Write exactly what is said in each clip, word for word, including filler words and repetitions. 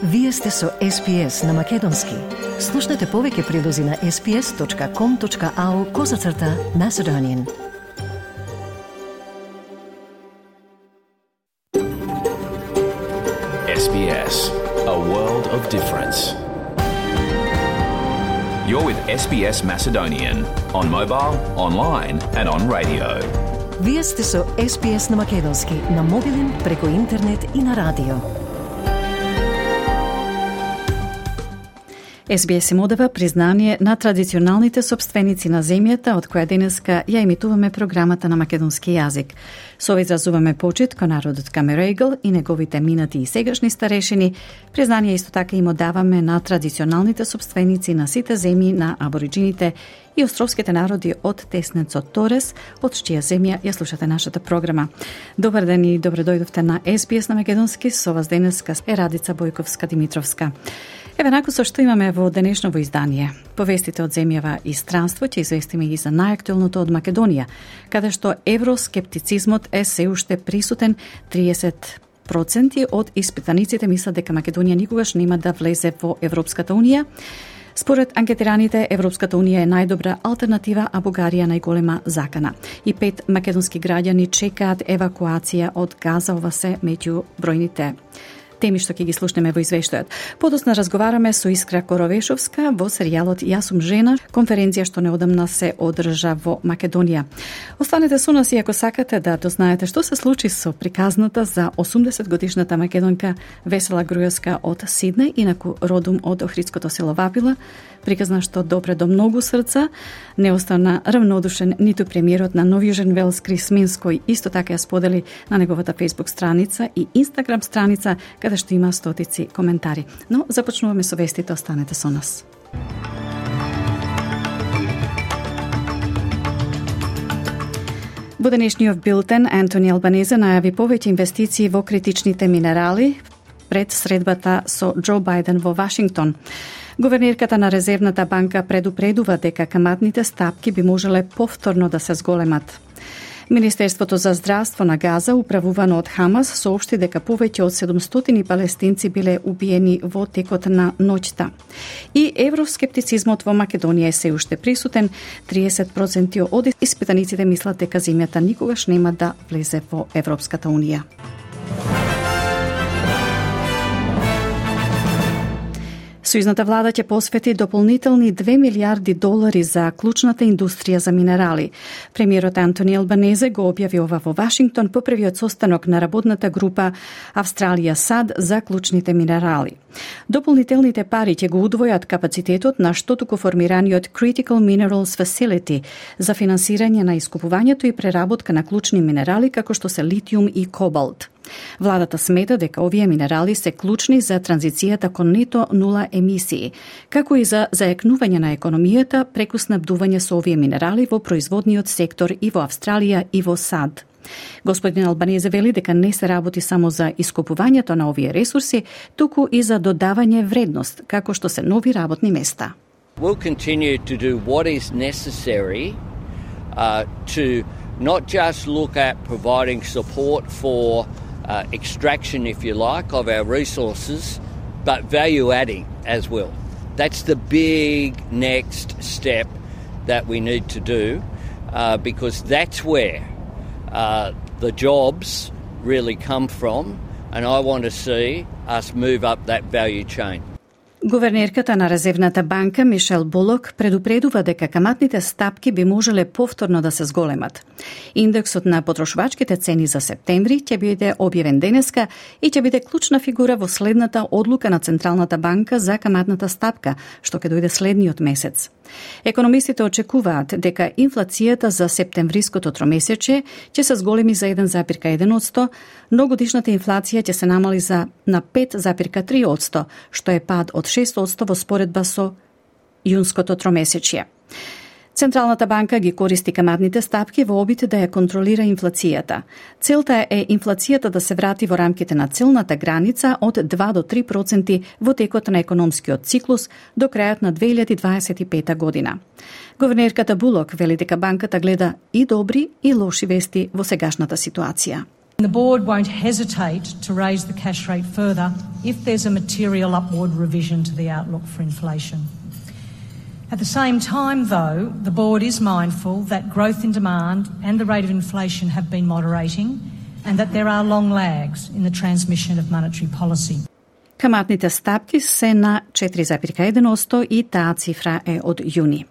Вие сте со Ес Би Ес на Македонски. Слушнете повеќе прилози на ес би ес точка ком точка ау козацрта Macedonian. Ес Би Ес, a world of difference. You're with Ес Би Ес Macedonian on mobile, online and on radio. Вие сте со Ес Би Ес на Македонски, на мобилен, преку интернет и на радио. Ес Би Ес им одава признание на традиционалните собственици на земјата, од која денеска ја емитуваме програмата на македонски јазик. Со ова изразуваме почит кон народот Камерегл и неговите минати и сегашни старешини. Признание исто така им одаваме на традиционалните собственици на сите земји на абориджините и островските народи од теснецот Торес, од чија земја ја слушате нашата програма. Добар ден и добре дојдовте на Ес Би Ес на Македонски. Со вас денеска е Радица Бојковска-Димитровска. Еве наку со што имаме во денешново издание. Повестите од земјава и странство ќе известиме и за најактуелното од Македонија, каде што евроскептицизмот е се уште присутен. триесет проценти од испитаниците мислат дека Македонија никогаш нема да влезе во Европската унија. Според анкетираните, Европската унија е најдобра алтернатива, а Бугарија најголема закана. И пет македонски граѓани чекаат евакуација од Газа, ова се меѓу бројните теми што ќе ги слушнеме во извештајот. Подосна разговараме со Искра Коровешовска во серијалот Јас сум жена, конференција што неодамна се одржа во Македонија. Останете со нас и ако сакате да дознаете што се случи со приказната за осумдесет годишната македонка Весела Груевска од Сиднеј, инаку родум од Охридското село Вапила, приказна што допре до многу срца, не остана равнодушен ниту премиерот на Нов Јужен Велс Крис Минс, кој исто така ја сподели на неговата Facebook страница и Instagram страница, каде што има стотици коментари. Но започнуваме со вестите, останете со нас. Во денешниот билтен Антони Албанезе најави повеќе инвестиции во критичните минерали пред средбата со Џо Бајден во Вашингтон. Гувернерката на Резервната банка предупредува дека каматните стапки би можеле повторно да се зголемат. Министерството за здравство на Газа, управувано од Хамас, соопшти дека повеќе од седумстотини палестинци биле убиени во текот на ноќта. И евроскептицизмот во Македонија е се уште присутен. триесет проценти од испитаниците мислат дека земјата никогаш нема да влезе во Европската унија. Сојузната влада ќе посвети дополнителни две милиарди долари за клучната индустрија за минерали. Премиерот Антони Албанезе го објави ова во Вашингтон по првиот состанок на работната група Австралија САД за клучните минерали. Дополнителните пари ќе го удвојат капацитетот на штотуку формираниот Critical Minerals Facility за финансирање на искупувањето и преработка на клучни минерали како што се литиум и кобалт. Владата смета дека овие минерали се клучни за транзицијата кон нето нула емисии, како и за зајакнување на економијата преку снабдување со овие минерали во производниот сектор и во Австралија и во САД. Господин Албанезе вели дека не се работи само за искупувањето на овие ресурси, туку и за додавање вредност, како што се нови работни места. We'll continue to do what is necessary uh, to not just look at providing support for Uh, extraction, if you like, of our resources, but value adding as well. That's the big next step that we need to do uh, because that's where uh, the jobs really come from, and I want to see us move up that value chain. Гувернерката на Резервната банка Мишел Булок предупредува дека каматните стапки би можеле повторно да се зголемат. Индексот на потрошувачките цени за септември ќе биде објавен денеска и ќе биде клучна фигура во следната одлука на Централната банка за каматната стапка, што ќе дојде следниот месец. Економистите очекуваат дека инфлацијата за септемвриското тромесечје ќе се зголеми за еден зарез еден одсто, но годишната инфлација ќе се намали за на пет зарез три одсто, што е пад од шест одсто во споредба со јунското тромесечје. Централната банка ги користи каматните стапки во обид да ја контролира инфлацијата. Целта е инфлацијата да се врати во рамките на целната граница од два до три проценти во текот на економскиот циклус до крајот на две илјади дваесет и пета година. Гувернерката Булок вели дека банката гледа и добри и лоши вести во сегашната ситуација. The board won't hesitate to raise the cash rate further if there's a material upward revision to the outlook for inflation. At the same time, though, the board is mindful that growth in demand and the rate of inflation have been moderating and that there are long lags in the transmission of monetary policy. Каматните стапки се на четири запирка еден одсто и таа цифра е од јуни.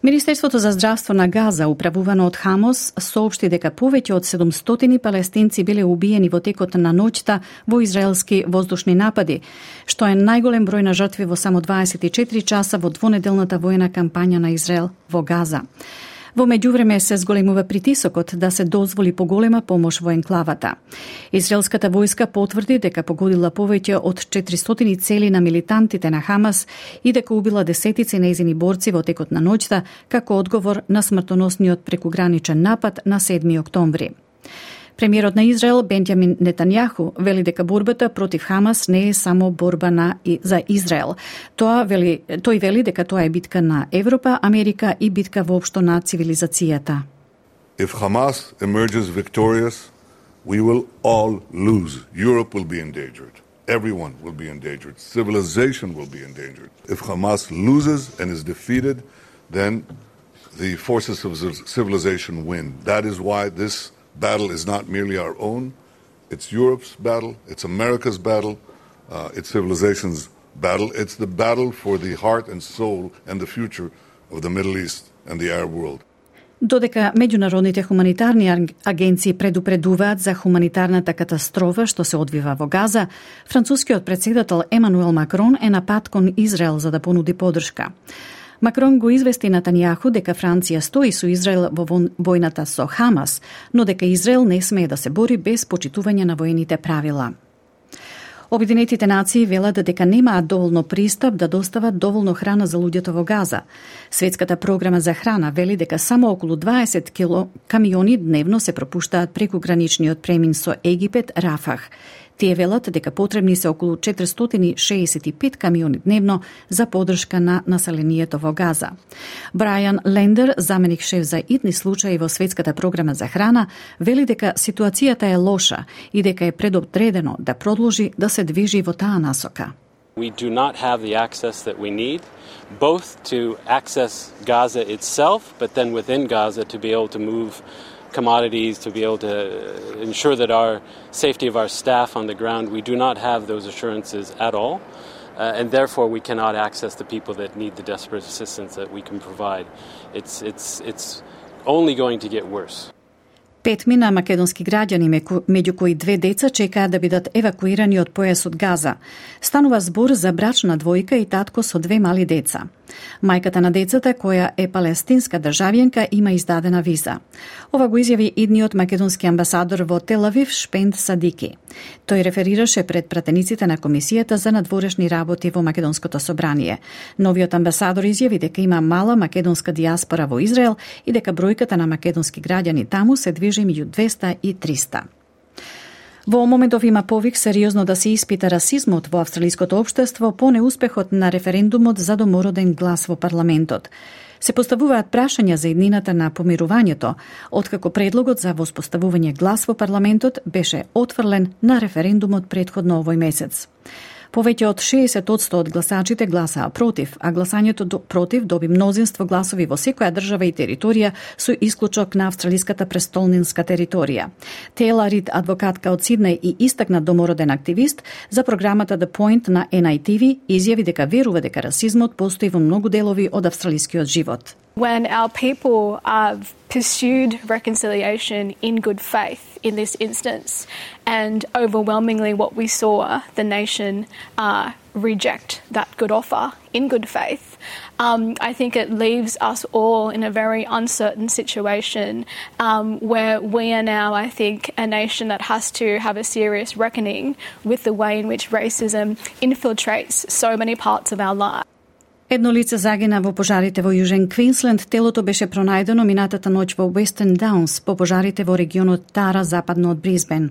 Министерството за здравство на Газа, управувано од Хамас, соопшти дека повеќе од седумстотини палестинци биле убиени во текот на ноќта во израелски воздушни напади, што е најголем број на жртви во само дваесет и четири часа во двонеделната воена кампања на Израел во Газа. Во меѓувреме се зголемува притисокот да се дозволи поголема помош во енклавата. Израелската војска потврди дека погодила повеќе од четиристотини цели на милитантите на Хамас и дека убила десетици нејзини борци во текот на ноќта како одговор на смртоносниот прекуграничен напад на седми октомври. Премиерот на Израел Бенјамин Нетањаху вели дека борбата против Хамас не е само борба на и за Израел. Тоа вели, тој вели дека тоа е битка на Европа, Америка и битка воопшто на цивилизацијата. If Hamas emerges victorious, we will all lose. Europe will be endangered. Everyone will be endangered. Civilization will be endangered. If Hamas loses and is defeated, then the forces of civilization win. That is why this battle is not merely our own, it's Europe's battle, it's America's battle, uh, it's civilization's battle, it's the battle for the heart and soul and the future of the Middle East and the Arab world. Додека меѓународните хуманитарни агенции предупредуваат за хуманитарната катастрофа што се одвива во Газа, францускиот претседател Емануел Макрон е на пат кон Израел за да понуди поддршка. Макрон го извести Нетањаху дека Франција стои со Израел во војната со Хамас, но дека Израел не смее да се бори без почитување на воените правила. Обединетите нации велат дека немаат доволно пристап да достават доволно храна за луѓето во Газа. Светската програма за храна вели дека само околу дваесет кило камиони дневно се пропуштаат преку граничниот премин со Египет Рафах. Тие велат дека потребни се околу четиристотини шеесет и пет камиони дневно за поддршка на населението во Газа. Брајан Лендер, заменик шеф за итни случаи во Светската програма за храна, вели дека ситуацијата е лоша и дека е предопредено да продолжи да се движи во таа насока. We do not have the access that we need, both to access Gaza itself, but then within Gaza to be able to move commodities, to be able to ensure that our safety of our staff on the ground. We do not have those assurances at all, uh, and therefore we cannot access the people that need the desperate assistance that we can provide. It's, it's, it's only going to get worse. Петмина македонски граѓани, меѓу кои две деца, чекаат да бидат евакуирани од појасот Газа. Станува збор за брачна двојка и татко со две мали деца. Мајката на децата, која е палестинска државјанка, има издадена виза. Ова го изјави идниот македонски амбасадор во Тел Авив Шпенд Садики. Тој реферираше пред пратениците на Комисијата за надворешни работи во Македонското собрание. Новиот амбасадор изјави дека има мала македонска диаспора во Израел и дека бројката на македонски граѓани таму се движи меѓу двеста и триста. Во моментов има повик сериозно да се испита расизмот во австралиското општество по неуспехот на референдумот за домороден глас во парламентот. Се поставуваат прашања за иднината на помирувањето, откако предлогот за воспоставување глас во парламентот беше отфрлен на референдумот претходно овој месец. Повеќе од шеесет одсто од гласачите гласаа против, а гласањето до, против доби мнозинство гласови во секоја држава и територија со исклучок на австралиската престолнинска територија. Тела Рид, адвокатка од Сиднеј и истакнат домороден активист за програмата The Point на Ен Ај Ти Ви, изјави дека верува дека расизмот постои во многу делови од австралискиот живот. When our people uh, pursued reconciliation in good faith in this instance, and overwhelmingly what we saw the nation uh, reject that good offer in good faith, um, I think it leaves us all in a very uncertain situation um, where we are now, I think, a nation that has to have a serious reckoning with the way in which racism infiltrates so many parts of our lives. Едно лице загина во пожарите во Јужен Квинсленд. Телото беше пронајдено минатата ноќ во Western Downs по пожарите во регионот Тара, западно од Брисбен.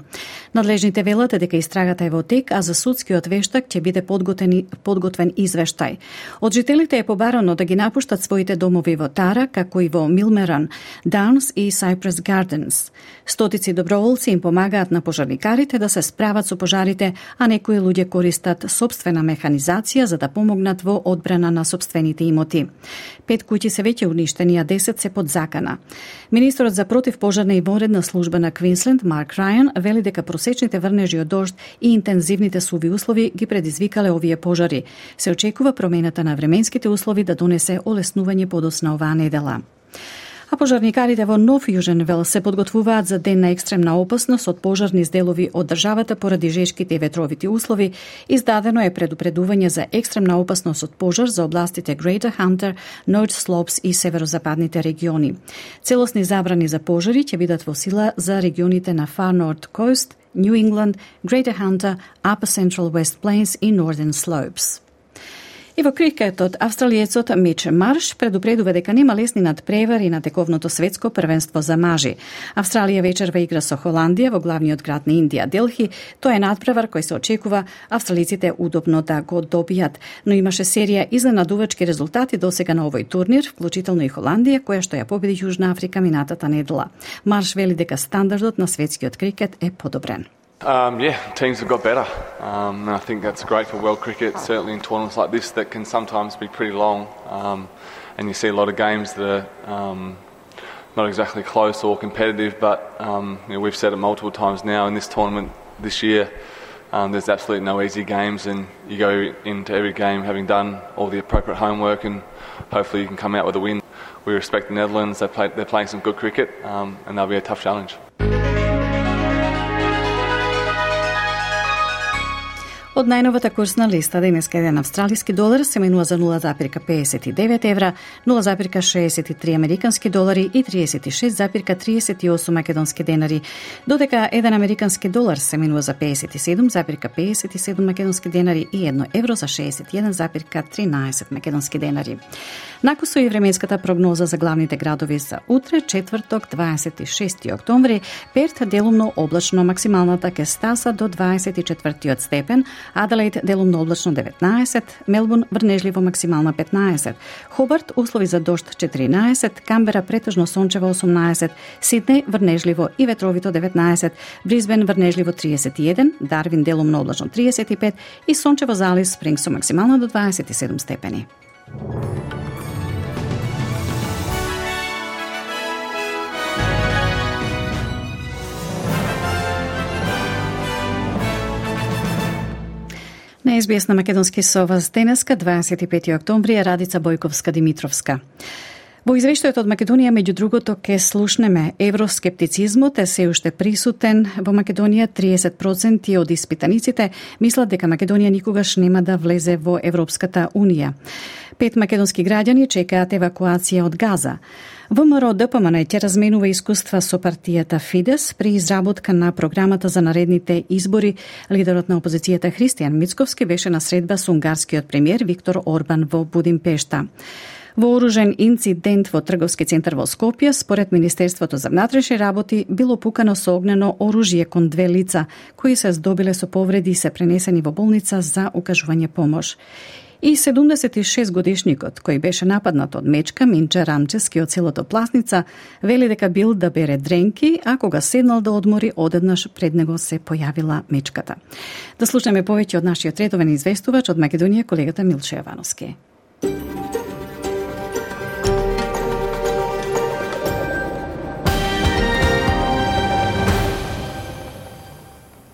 Надлежните велат дека истрагата е во тек, а за судскиот вештак ќе биде подготвен, подготвен извештај. Од жителите е побарано да ги напуштат своите домови во Тара, како и во Милмеран, Даунс и Cypress Gardens. Стотици доброволци им помагаат на пожарникарите да се справат со пожарите, а некои луѓе користат собствена механизација за да помогнат во одбрана на собствените имоти. Пет куќи се веќе уништени, а десет се под закана. Министерот за противпожарна и вонредна служба на Квинсленд, Марк Рајан, вели дека просечните врнежи од дожд и интензивните суви услови ги предизвикале овие пожари. Се очекува промената на временските услови да донесе олеснување подоцна оваа недела. А пожарникарите во Нов Јужен Велс се подготвуваат за ден на екстремна опасност од пожарни сделови од државата поради жешките и ветровити услови. Издадено е предупредување за екстремна опасност од пожар за областите Greater Hunter, North Slopes и северозападните региони. Целосни забрани за пожари ќе бидат во сила за регионите на Far North Coast, New England, Greater Hunter, Upper Central West Plains и Northern Slopes. И во крикетот, австралиецот Мич Марш предупредува дека нема лесни надпревари на тековното светско првенство за мажи. Австралија вечерва игра со Холандија во главниот град на Индија, Делхи. Тоа е надпревар кој се очекува австралиците удобно да го добијат, но имаше серија изненадувачки резултати досега на овој турнир, вклучително и Холандија, која што ја победи Јужна Африка минатата недела. Марш вели дека стандардот на светскиот крикет е подобрен. Um, yeah, teams have got better. Um, and I think that's great for world cricket, certainly in tournaments like this that can sometimes be pretty long. Um, and you see a lot of games that are um, not exactly close or competitive, but um, you know, we've said it multiple times now in this tournament this year, um, there's absolutely no easy games, and you go into every game having done all the appropriate homework, and hopefully you can come out with a win. We respect the Netherlands, they play, they're playing some good cricket, um, and they'll be a tough challenge. Од најновата курсна листа денеска еден австралиски долар се менува за нула запирка педесет и девет евра, нула запирка шеесет и три американски долари и триесет и шест запирка триесет и осум македонски денари, додека еден американски долар се менува за педесет и седум запирка педесет и седум македонски денари и едно евро за шеесет и еден запирка тринаесет македонски денари. Накусо и временската прогноза за главните градови за утре, четврток, дваесет и шести октомври, Перт делумно облачно, максималната ќе стаса до дваесет и четвртиот степен, Аделаид делумно облачно деветнаесет, Мелбурн врнежливо максимална петнаесет, Хобарт услови за дожд четиринаесет, Камбера претежно сончево осумнаесет, Сиднеј врнежливо и ветровито деветнаесет, Брисбен врнежливо триесет и еден, Дарвин делумно облачно триесет и пет и сончево за Алис Спрингс максимално до дваесет и седум степени. На Ес Би Ес на македонски со вас денеска, дваесет и пети октомври, е Радица Бојковска-Димитровска. Во извештајот од Македонија, меѓу другото, ке слушнеме евроскептицизмот е се уште присутен во Македонија. триесет проценти од испитаниците мислат дека Македонија никогаш нема да влезе во Европската Унија. Пет македонски граѓани чекаат евакуација од Газа. ВМРО-ДПМН ќе разменува искуства со партијата Фидес при изработка на програмата за наредните избори. Лидерот на опозицијата Христијан Мицковски беше на средба со унгарскиот премиер Виктор Орбан во Будимпешта. Вооружен инцидент во трговски центар во Скопје, според Министерството за внатрешни работи, било пукано со огнено оружје кон две лица, кои се здобиле со повреди и се пренесени во болница за укажување помош. И седумдесет и шест годишникот, кој беше нападнат од мечка, Минче Рамчески од селото Пласница, вели дека бил да бере дренки, а кога седнал да одмори, одеднаш пред него се појавила мечката. Да слушаме повеќе од нашиот редовен известувач од Македонија, колегата Милче Јовановски.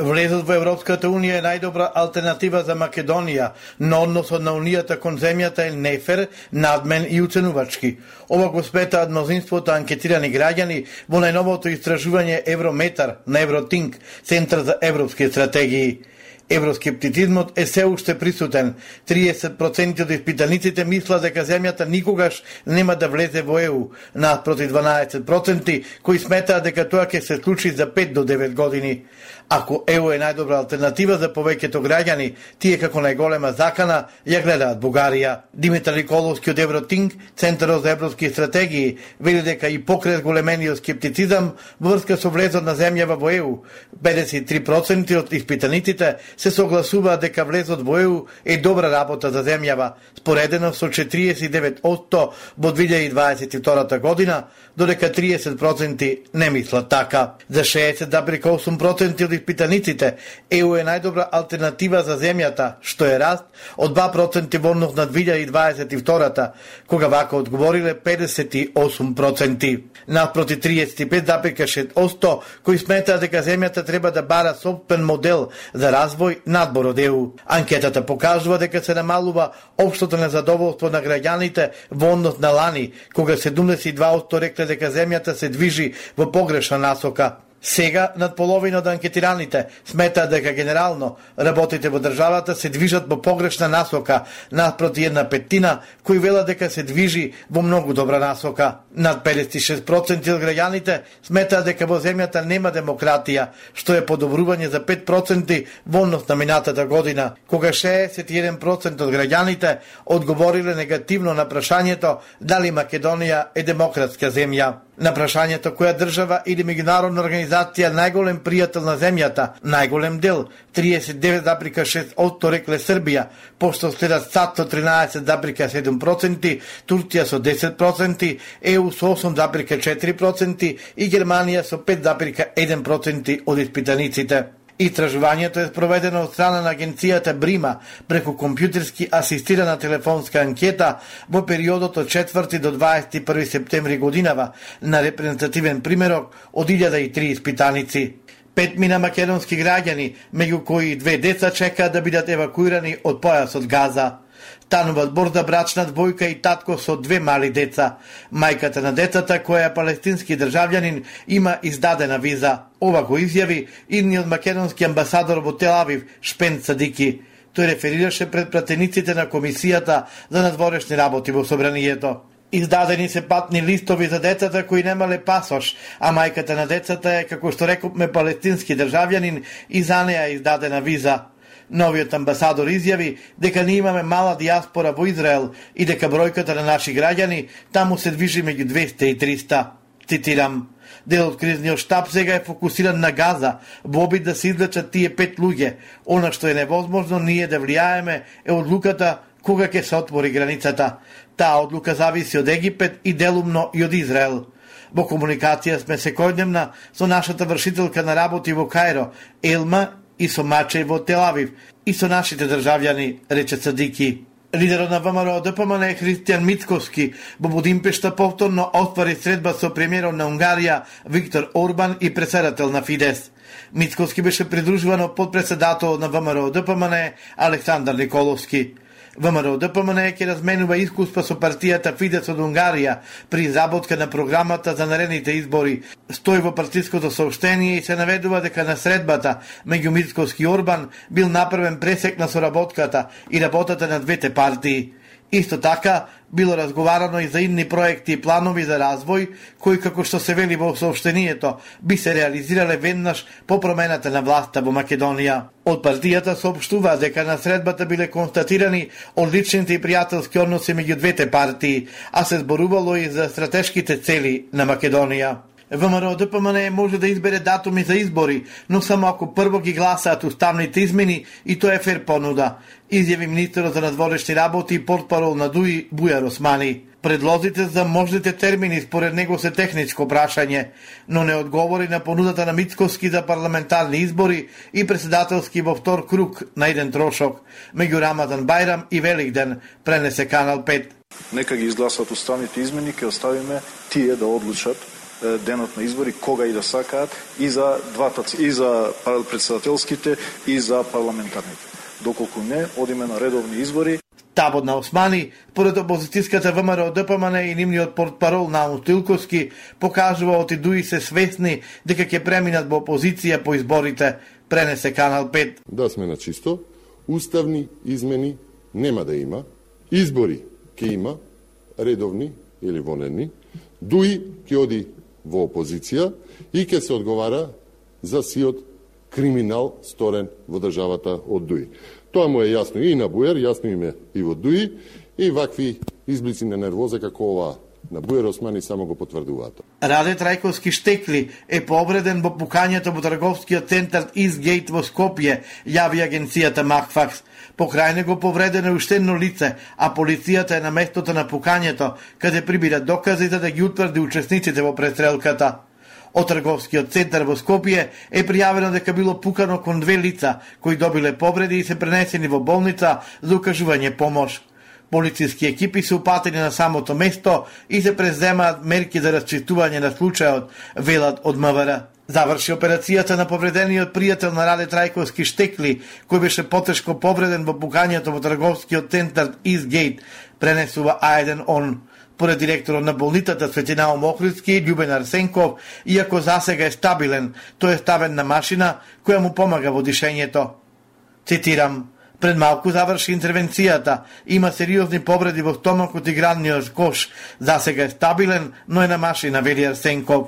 Влезот во Европската Унија е најдобра алтернатива за Македонија, но односот на Унијата кон земјата е нефер, надмен и уценувачки. Ова го сметаат мнозинството анкетирани граѓани во најновото истражување Еврометар на Евротинк, Центар за европски стратегии. Евроскептицизмот е се уште присутен. триесет проценти од испитаниците мислат дека земјата никогаш нема да влезе во Е У, наспроти дванаесет проценти кои сметаат дека тоа ќе се случи за пет до девет години. Ако е у е најдобра алтернатива за повеќето граѓани, тие како најголема закана ја гледаат Бугарија. Димитар Николовски од Евротинг, Центарот за европски стратегии, вели дека и покрај големениот скептицизам во врска со влезот на земјава во е у, педесет и три проценти од испитаниците се согласуваат дека влезот во е у е добра работа за земјава, споредено со четириесет и девет одсто во две илјади дваесет и втора година, додека триесет проценти не мислат така. За шеесет зарез и осум проценти од испитаниците е у е најдобра алтернатива за земјата, што е раст од два проценти во однос на две илјади дваесет и втора, кога вака одговориле педесет и осум проценти. Наспроти триесет и пет зарез и шест одсто кои сметаат дека земјата треба да бара сопствен модел за развој надбор од е у. Анкетата покажува дека се намалува општото незадоволство на граѓаните во однос на лани, кога седумдесет и два одсто рекле дека земјата се движи во погрешна насока. Сега, над половина од анкетираните сметаат дека генерално работите во државата се движат во погрешна насока, наспроти една петтина кои велат дека се движи во многу добра насока. Над педесет и шест проценти од граѓаните сметаат дека во земјата нема демократија, што е подобрување за пет проценти во однос на минатата година, кога шеесет и еден проценти од граѓаните одговориле негативно на прашањето дали Македонија е демократска земја. На прашањето која држава или меѓународна организација најголем пријател на земјата, најголем дел, триесет и девет зарез и шест одсто рекле Србија, пошто следат САД со тринаесет зарез и седум проценти, Турција со десет проценти, е у со осум зарез и четири проценти и Германија со пет зарез и еден проценти од испитаниците. Истражувањето е спроведено од страна на агенцијата Брима преку компјутерски асистирана телефонска анкета во периодот од четврти до дваесет и први септември годинава на репрезентативен примерок од илјада и три испитаници. Пет мина македонски граѓани, меѓу кои две деца чекаат да бидат евакуирани од појасот Газа. Станува збор за брачна двојка и татко со две мали деца. Мајката на децата, која е палестински државјанин, има издадена виза. Ова го изјави идниот македонски амбасадор во Тел Авив, Шпен Садики. Тој реферираше пред пратениците на Комисијата за надворешни работи во Собранието. Издадени се патни листови за децата кои немале пасош, а мајката на децата е, како што рекопме, палестински државјанин и за неа издадена виза. Новиот амбасадор изјави дека ние имаме мала диаспора во Израел и дека бројката на наши граѓани таму се движи меѓу двесте и триста. Цитирам: дел од кризниот штаб сега е фокусиран на Газа во обид да се извлечат тие пет луѓе. Она што е невозможно ние да влијаеме е одлуката кога ќе се отвори границата. Таа одлука зависи од Египет и делумно и од Израел. Во комуникација сме секојдневна со нашата вршителка на работи во Кајро, Елма, и со Мачеј во Тел Авив, и со нашите државјани, рече Садики. Лидерот на ВМРО Д П М Н Христијан Мицкоски во Будимпешта повторно оствари средба со премиерот на Унгарија Виктор Орбан и председател на Фидес. Мицкоски беше придружуван од подпредседател на ВМРО Д П М Н Александар Николовски. ВМРО Д П М Н ќе разменува искуства со партијата Фидес од Унгарија при изработка на програмата за наредните избори. Стои во партиското сообштение и се наведува дека на средбата меѓу Мицкоски и Орбан бил направен пресек на соработката и работата на двете партии. Исто така, било разговарано и за идни проекти и планови за развој, кои, како што се вели во сообштението, би се реализирале веднаш по промената на власта во Македонија. Од партијата соопштува дека на средбата биле констатирани одличните и пријателски односи меѓу двете партии, а се зборувало и за стратешките цели на Македонија. ВМРО Д П М Н може да избере датуми за избори, но само ако прво ги гласаат уставните измени и тоа е фер понуда, изјави министерот за надворешни работи и портпарол на ДУИ Бујар Османи. Предлозите за можните термини според него се техничко прашање, но не одговори на понудата на Мицкоски за парламентарни избори и председателски во втор круг на еден трошок меѓу Рамадан Бајрам и Великден, пренесе Канал пет. Нека ги изгласат уставните измени, ќе оставиме тие да одлучат денот на избори кога и да сакаат и за двата, и за председателските и за парламентарните. Доколку не, одиме на редовни избори. Табот на Османи, поред опозицијската ВМРО Д П М Н и нивниот портпарол Наум Стилковски, покажува оти ДУИ се свесни дека ќе преминат во опозиција по изборите, пренесе Канал пет. Да сме на чисто, уставни измени нема да има, избори ќе има, редовни или вонедни, ДУИ ќе оди во опозиција и ќе се одговара за сиот криминал сторен во државата од Дуи. Тоа му е јасно и на Буер, јасно им е и во Дуи, и вакви изблици на нервоза како ова на Буер Османи само го потврдуваат. Раде Трајковски Штекли е повреден во пукањето во трговскиот центар Изгейт во Скопје, јави агенцијата Макфакс. Покрај него повредено е уште едно лице, а полицијата е на местото на пукањето, каде прибира докази за да ги утврди учесниците во престрелката. Од трговскиот центар во Скопје е пријавено дека било пукано кон две лица, кои добиле повреди и се пренесени во болница за укажување помош. Полициски екипи се упатени на самото место и се преземаат мерки за расчистување на случајот, велат од МВР. Заврши операцијата на повредениот пријател на Раде Трајковски Штекли, кој беше потешко повреден во пукањето во трговскиот центар Изгейт, пренесува А еден он. Поред директорот на болницата Светинаум Охридски, Љубен Арсенков, иако засега е стабилен, тој е ставен на машина која му помага во дишењето. Цитирам: "Пред малку заврши интервенцијата, има сериозни повреди во стомакот и градниот кош. Засега е стабилен, но е на машина", вели Арсенков.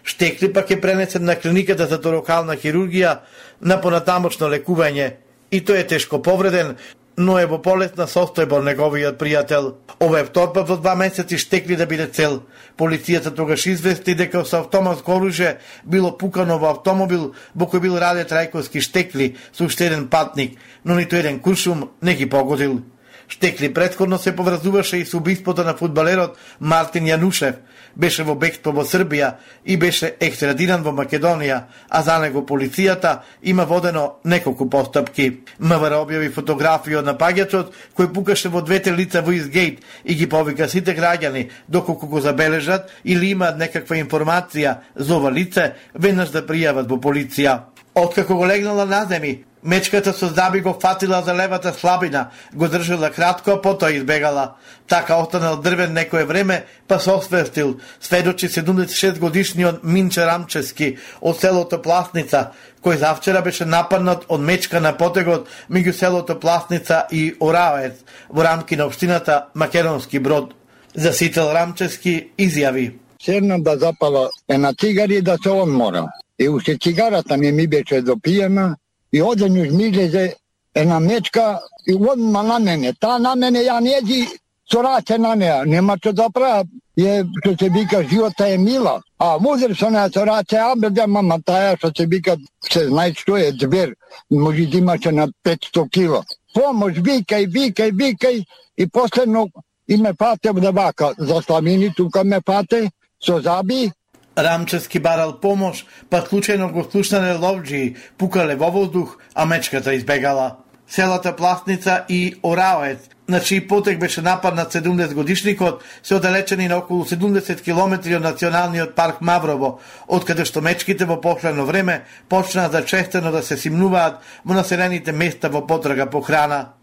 Штекли пак е пренесен на клиниката за торакална хирургија на понатамошно лекување. И тој е тешко повреден, но е во полесна состојба неговиот пријател. Ова е вторпат во два месеци Штекли да биде цел. Полицијата тогаш извести дека со автоматско оружје било пукано во автомобил во кој бил Раде Трајковски Штекли со уште еден патник, но ниту еден куршум не ги погодил. Штекли претходно се поврзуваше и со убиството на фудбалерот Мартин Јанушев. Беше во бегство во Србија и беше екстрадиран во Македонија, а за него полицијата има водено неколку постапки. МВР објави фотографија од напаѓачот кој пукаше во двете лица во Изгейт и ги повика сите граѓани доколку го забележат или имаат некаква информација за ова лице, веднаш да пријават во полиција. Откако го легнала на земи, мечката со здаби го фатила за левата слабина, го држала кратко, а потоа избегала. Така останал дрвен некое време, па се освестил, сведочи седумдесет и шест годишниот Минче Рамчески од селото Пласница, кој завчера беше нападнат од мечка на потегот меѓу селото Пласница и Ораоец, во рамки на општината Македонски Брод. Засител Рамчески изјави: "Седнам да запала една цигари и да се одмора. И уште цигарата не ми беше допиена, и одењу ми излезе една мечка и одма на мене. Та на мене ја неđi со раце на неа. Нема што да правя. Е, што се вика, живота е мила. А музер со неа со раце, а бе, мама, таја што се вика, се знае што е звер. Може да имаше на петсто кила. Помош, викај, викај, викај. И последно и ме пате да вака. За Славини тука ме пате со заби. Рамчески барал помош, па случајно го слушнале ловџии, пукале во воздух, а мечката избегала. Селата Пласница и Ораоец, на чиј потек беше нападнат седумдесет годишникот, се оддалечени на околу седумдесет километри од националниот парк Маврово, од каде што мечките во последно време почнаа зачестено да се симнуваат во населените места во потрага по храна.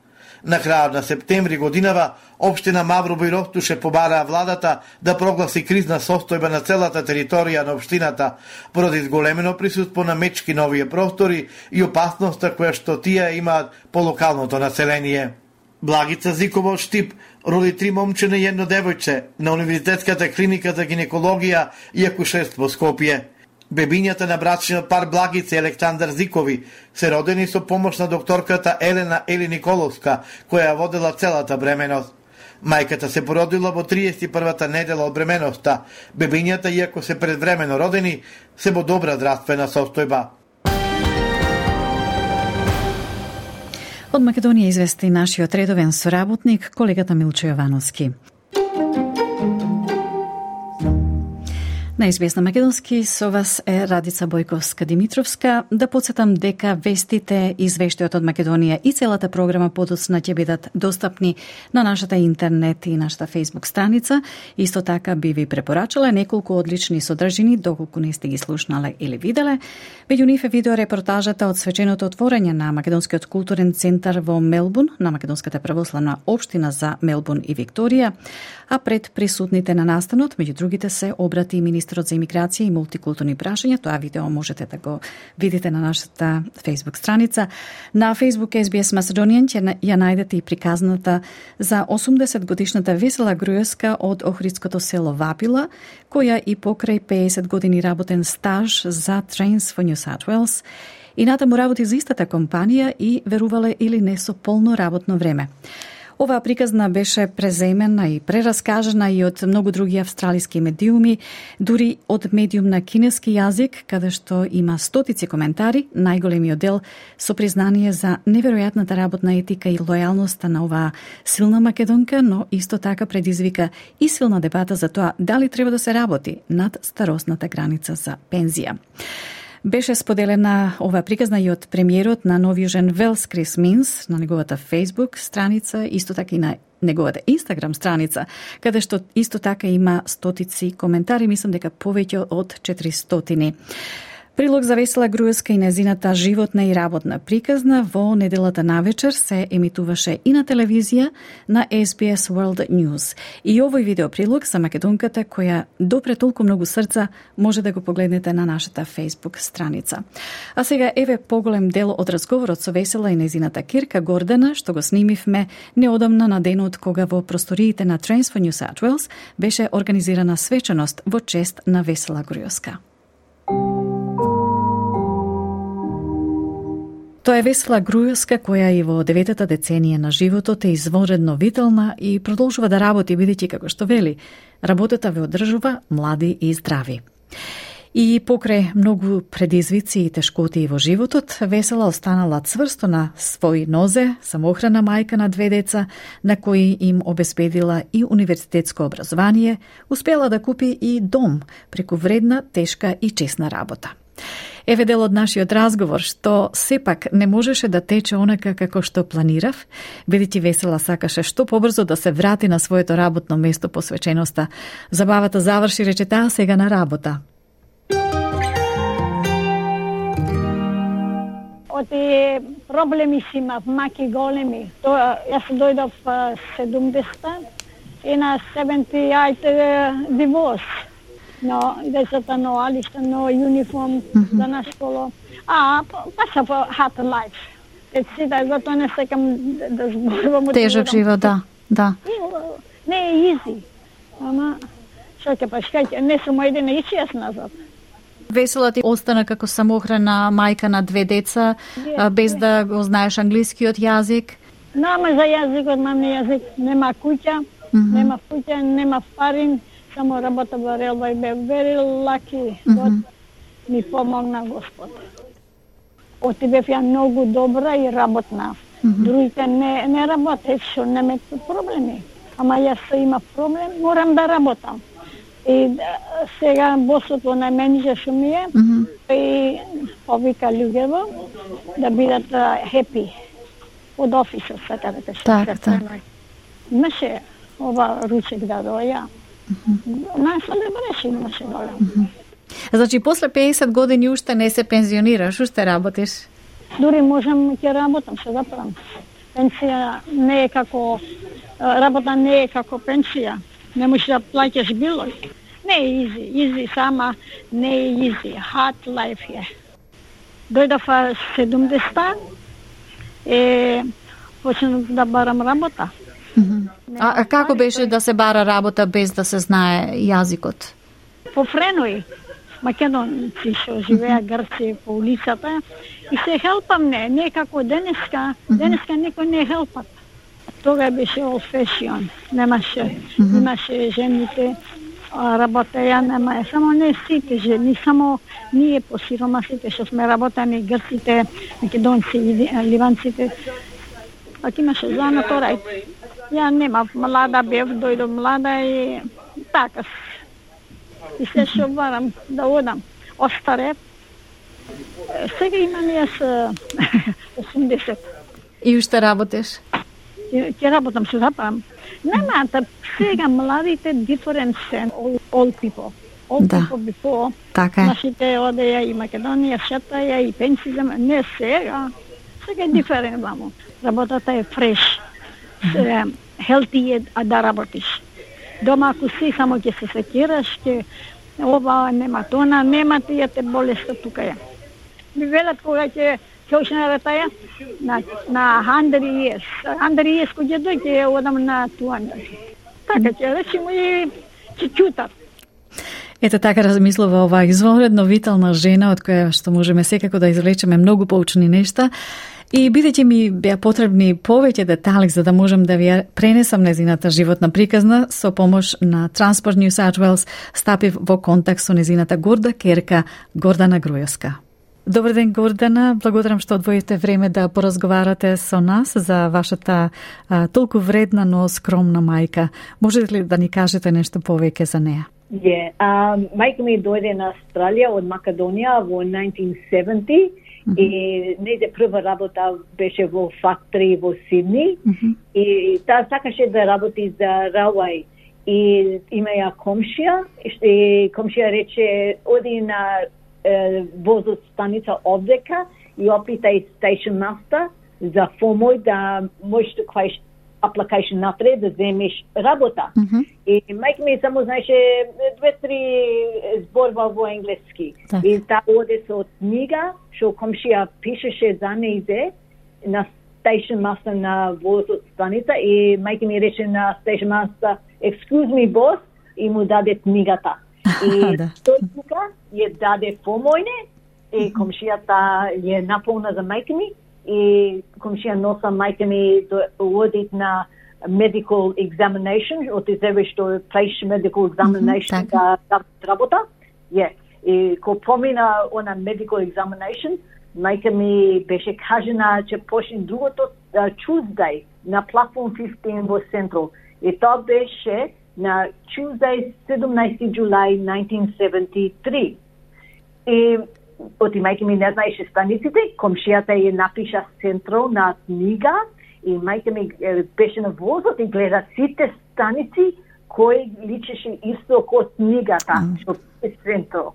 На крајот на септември годинава, општина Маврово и Ростуше побараа владата да прогласи кризна состојба на целата територија на општината, поради зголемено присуство на мечки на овие простори и опасноста која што тие имаат по локалното население. Благица Зикова од Штип роди три момчине и едно девојче на Универзитетската клиника за гинекологија и акушерство Скопје. Бебињата на брачниот пар Благица и Александар Зикови се родени со помош на докторката Елена Ели Николовска, која ја водела целата бременост. Мајката се породила во триесет и првата недела од бременоста. Бебињата, иако се предвремено родени, се во добра здравствена состојба. Од Македонија извести нашиот редовен соработник, колегата Милчо Јовановски. На ес би ес на Македонски со вас е Радица Бојковска-Димитровска. Да подсетам дека вестите, извештајот од Македонија и целата програма подоцна ќе бидат достапни на нашата интернет и нашата фейсбук страница. Исто така би ви препорачала неколку одлични содржини, доколку не сте ги слушнале или виделе. Меѓу нив е видеорепортажата од свеченото отворање на Македонскиот културен центар во Мелбун, на Македонската православна општина за Мелбун и Викторија, а пред присутните на настанот, меѓу другите се обрати министерот за имиграција и мултикултурни прашања. Тоа видео можете да го видите на нашата фейсбук страница. На фейсбук ес би ес Macedonian ќе ја најдете и приказната за осумдесет годишната весела грујоска од охридското село Вапила, која и покрај пеесет години работен стаж за Trains for New South Wales И натаму работи за истата компанија и верувале или не со полно работно време. Оваа приказна беше преземена и прераскажена и од многу други австралиски медиуми, дури од медиум на кинески јазик, каде што има стотици коментари, најголемиот дел со признание за неверојатната работна етика и лојалноста на оваа силна македонка, но исто така предизвика и силна дебата за тоа дали треба да се работи над старосната граница за пензија. Беше споделена ова приказна и од премиерот на Нов Јужен Велс Крис Минс на неговата Facebook страница, исто така и на неговата Instagram страница, каде што исто така има стотици коментари, мислам дека повеќе од четиристотини. Прилог за Весела Груевска и незината животна и работна приказна во неделата навечер се емитуваше и на телевизија на Ес Би Ес World News. И овој видеоприлог за македонката која допре толку многу срца може да го погледнете на нашата Facebook страница. А сега еве поголем дел од разговорот со Весела и незината керка Гордана, што го снимивме неодамна на денот кога во просториите на Трансфер New South Wales беше организирана свечаност во чест на Весела Груевска. Тоа е Весела Груевска која и во деветата деценија на животот е извонредно витална и продолжува да работи бидејќи како што вели, работата ве одржува млади и здрави. И покрај многу предизвици и тешкоти во животот, Весела останала цврсто на свој нозе, самоохрана мајка на две деца, на кои им обезбедила и универзитетско образование, успела да купи и дом преку вредна, тешка и честна работа. Еве дел од нашиот разговор, што сепак не можеше да тече онака како што планирав, бидејќи Весела сакаше што побрзо да се врати на своето работно место посвеченоста. Забавата заврши, рече таа, сега на работа. Оти проблеми си имав, маки големи. Тоа, јас дојдов седумдесета и на седумдесет дивоз. Но децата но алишта, но униформ mm-hmm. за на школа. А, паса по hard life. Еци да го тоа не секам да зборувам. Тежок живот, да, да. И, не е изи. Ама, што ќе пашкајте, не сум едина и јас назад. Весела ти остана како самоохрана мајка на две деца, yeah, без yeah. да го знаеш англискиот јазик. Нема за јазикот, мамни јазик, нема куќа, mm-hmm. нема куќа, нема парин. Само работа во релва и бе very lucky. Mm-hmm. Ми помогна Господ. Оти бев ја многу добра и работна. Mm-hmm. Другите не, не работеат, што нема проблеми. Ама јас има проблем, морам да работам. И сега босот во најменџа што ми е, mm-hmm. и повика луѓево да бидат happy од офисот, сака да те што. Так, так. Имаше ова ручек да доја. На селебраши имаше доле. Значи, после педесет години уште не се пензионираш, уште работиш? Дури можам ќе работам, се заправам. Пенсија не е како, работа не е како пенсија. Не можеш да плаќаш било. Не е изи, изи сама, не е изи. Hard life е. Дојдов седумдесета и почнав да барам работа. Mm-hmm. А, а како беше да се бара работа без да се знае јазикот? По френои, македонци што живеа Грци по улицата и се хелпам не, не како денеска, денеска никој не хелпат. Тога беше old fashion, немаше, mm-hmm. имаше жените, работеја, нема, само не сите жени, само ние по сиромасите што сме работани, грците, македонци, ливанците, пак имаше занаторај. Ја немав, млада бев, дојдов млада и така. И се што барам да одам. Остарев. Сега имам јас осумдесет. И уште работиш? Ќе работам, се запам. Нема, сега младите different sen, all, all people. All да. people before. Така е. Нашите одеја и Македонија, шетаја и пенсија, не сега. Сега е different, мамо. Работата е fresh. Healthy е да работиш. Дома ако си само ќе се секираш, ќе ова нема тона, нема тие те болеста тука е. Ми велат кога ќе ќе ушна ратаја на на hundred years. hundred years кога дојде одам на two hundred. Така ќе речеме и ќе чутат. Ете така размислува оваа извонредно витална жена од која што можеме секако да извлечеме многу поучни нешта. И бидејќи ми беа потребни повеќе детали за да можам да ви пренесам незината животна приказна, со помош на Transport New South Wales стапив во контакт со незината горда керка Гордана Груевска. Добар ден, Гордана. Благодарам што одвоите време да поразговарате со нас за вашата а, толку вредна, но скромна мајка. Можете ли да ни кажете нешто повеќе за неа? Yeah. Um, мајка ми дојде на Австралија од Македонија во nineteen seventy. Mm-hmm. И нејзе прва работа беше во фактори во Сидни. Mm-hmm. И таа сакаше да работи за Railway. И има ја комшија, и комшија рече оди на е, возот станица овдека и опитај station master за помој да можеш да кваиш application напред да земеш работа. Mm-hmm. И мајка ми само знаеше две-три зборва во енглески. Так. И таа оде со книга, што комшија пишеше за нејзе на station master на возот станица и мајка ми рече на station master, excuse me boss, и му даде книгата. И тој тука ја даде помојне и комшијата ја наполна за мајка ми и комшија носа мајка ми до одит на medical examination, од тебе што плеш medical examination mm-hmm, да работа. Ја. И ко помина она medical examination, мајка ми беше кажена че почне другото uh, Tuesday на платформ fifteen во Central. И тоа беше на Tuesday seventeen July nineteen seventy-three. И оти мајка ми не знаеше станиците, комшијата ја напиша Central на книга и мајка ми беше на возот и гледа сите станици кои личеше исто ко книгата, што е Central.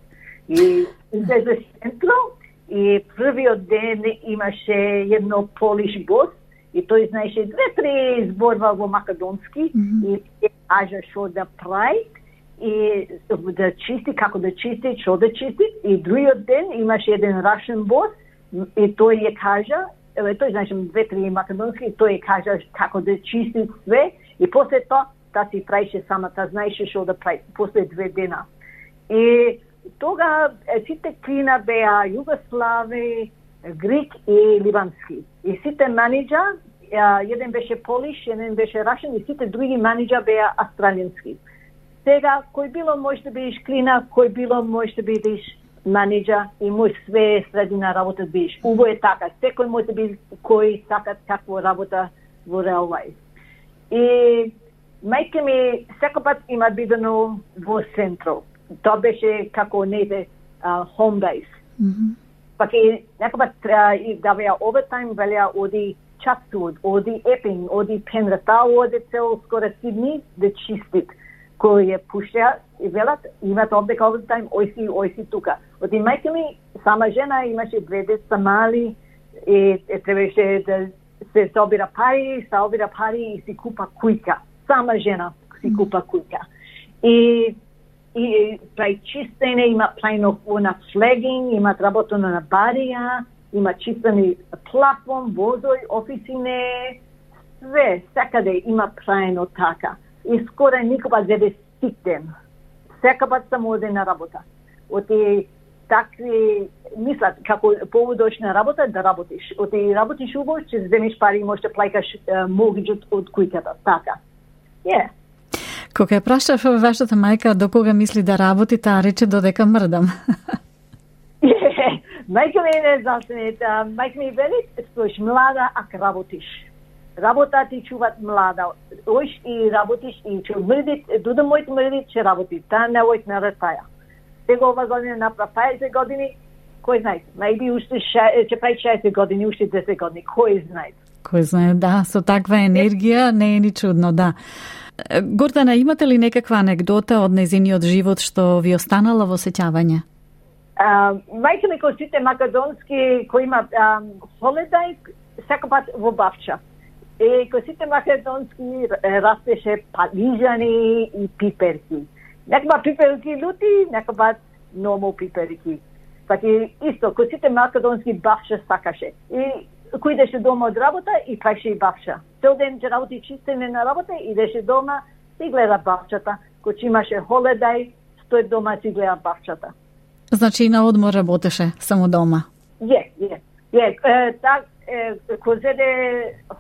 И излезе Central и првиот ден имаше едно Polish бос и тој знаеше две-три зборва во македонски mm-hmm. и кажа што да прави и да чисти, како да чисти, што да чисти. И другиот ден имаше еден Russian бос и тој ја кажа, тој знаеше две-три македонски, и тој ја кажа како да чисти све и после тоа таа си правише сама, таа знаеше што да прави после две дена. И тога сите клина беа југослави, грик и ливански. И сите менеджа, еден беше Полиш, еден беше Рашен и сите други менеджа беа австралијански. Сега, кој било може да бидеш клина, кој било може да бидеш менеджа и може све средина работа да бидеш. Уво е така. Секој може да биде кој сака таква работа во Railway. И мајка ми секој пат има бидено во Central. Тоа беше како нејде home base. Mm-hmm. Пак и некој пат да беа овертайм, велеа оди Chatswood, оди Epping, оди Penrith, таа оди цел скоро Сидни да чистит. Кој ја пуша и велат, имат овдека овертайм, ојси, ојси тука. Оти мајка ми, сама жена, имаше две деца мали и требаше да се собира пари, се обира пари и си купа кујка. Сама жена си купа кујка. И и прави чистење, има плајно на флегинг, имат работено на барија, има чистени платформ, возој, офисине, све, секаде има прајно така. И скоро никога зеде ситен. Секако само оде на работа. Оти такви мислат како поводош на работа да работиш. Оти работиш убаво, ќе земеш пари и можеш да плаќаш моргиџот од кујката. Така. Е. Yeah. Кога ја прашав вашата мајка до кога мисли да работи, таа рече додека мрдам. Мајка ми не знам, мајка ми вели, стоиш млада ако работиш. Работа ти чуват млада. Оиш и работиш и ќе мрдиш, дуда мојот мрди, ќе работи. Таа не ојт на ретаја. Сега ова година направа паесет години, кој знае? Maybe уште ќе прави шеесет години, уште десет години, кој знае? Кој знае, да, со таква енергија не е ни чудно, да. Гордана, имате ли некаква анегдота од нејзиниот живот што ви останала во сеќавање? Uh, мајка ми кој сите македонски, кој има um, холидај, секој пат во Бавча. И кој сите македонски растеше палижани и пиперки. Некој пат пиперки лути, некој пат нормал пиперки. Таки исто, кој сите македонски Бавча сакаше. И кој идеше дома од работа и правеше и Бавча. Цел ден ќе работи чистење на работа, идеше дома и гледа Бавчата. Кој имаше холидај, тој дома си гледа бавчата. Значи и на одмор работеше само дома? Е, е. Е, так, кој зеде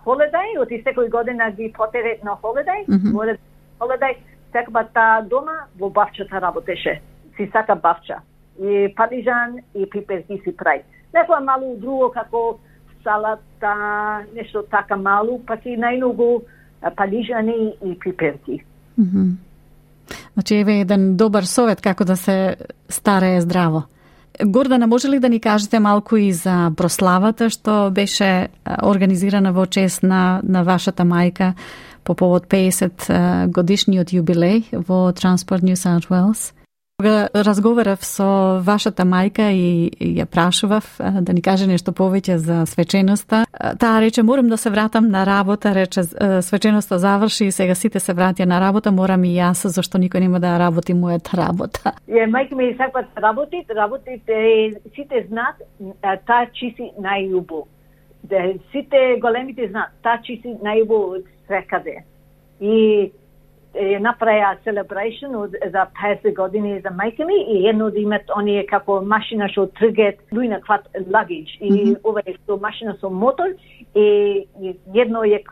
холидај, оти секој година ги потерет на холидај, mm-hmm. море холидај, секоја таа дома во бавчата работеше. Си сака бавча. И падижан и пиперки си прави. Некоја малу друго како салата, нешто така малу, пак и најмногу падижани и пиперки. Mm-hmm. Значи еве еден добар совет како да се старее здраво. Гордана, може ли да ни кажете малку и за прославата што беше организирана во чест на, на вашата мајка по повод пеесет годишниот јубилеј во Транспорт Нью Саут Уелс? Кога разговарав со вашата мајка и, и ја прашував да ни каже нешто повеќе за свеченоста, таа рече морам да се вратам на работа, рече свеченоста заврши и сега сите се вратија на работа, морам и јас зашто никој нема да работи мојата работа. Е, мајка ми сакат работи, работите, сите знаат таа чиси најубо. Сите големите знаат таа чиси најубо од секаде. И е направија celebration од за песет години за мајка ми и едно од имат оние како машина што тргет луѓе на кват luggage и mm-hmm. ова е што машина со мотор и едно е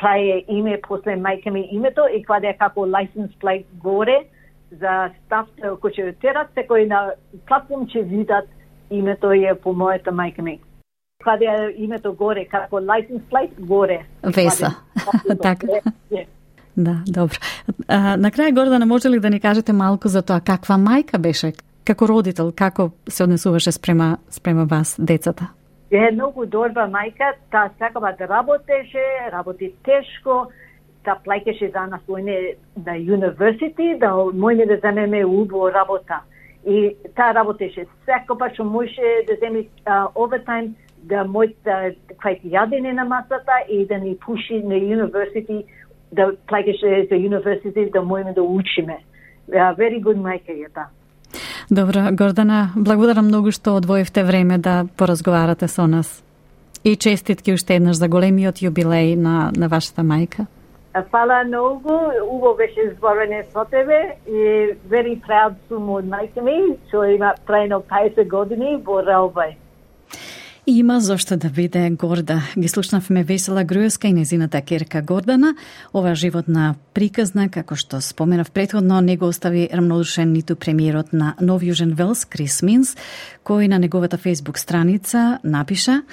прави име после мајка ми името и кваде е како license plate горе за став кој ќе терат секој на платформ ќе видат името е по мојата мајка ми. Кваде е името горе како license plate горе. Веса. Така. Да, добро. А, на крај, Гордана, може ли да ни кажете малку за тоа каква мајка беше, како родител, како се однесуваше спрема, спрема вас, децата? Е многу добра мајка, таа сакава да работеше, работи тешко, таа плаќаше за нас мојне на университи, да мојне да земеме убаво работа. И таа работеше секогаш што може да земе овертайм, да може да кај јадење на масата и да ни пуши на университи, да плаќаше за университи, да можеме да учиме. Uh, very good мајка е таа. Добро, Гордана, благодарам многу што одвоивте време да поразговарате со нас. И честитки уште еднаш за големиот јубилеј на, на вашата мајка. Фала многу, убаво беше зборење со тебе и very proud сум од мајка ми, што има прајно песет години во Раубај. Има зошто да биде горда. Ги слушнавме Весела Груевска и незината керка Гордана. Ова животна приказна, како што споменав претходно, не го остави рамнодушен ниту премиерот на Нов Јужен Велс, Крис Минс, кој на неговата фејсбук страница напиша: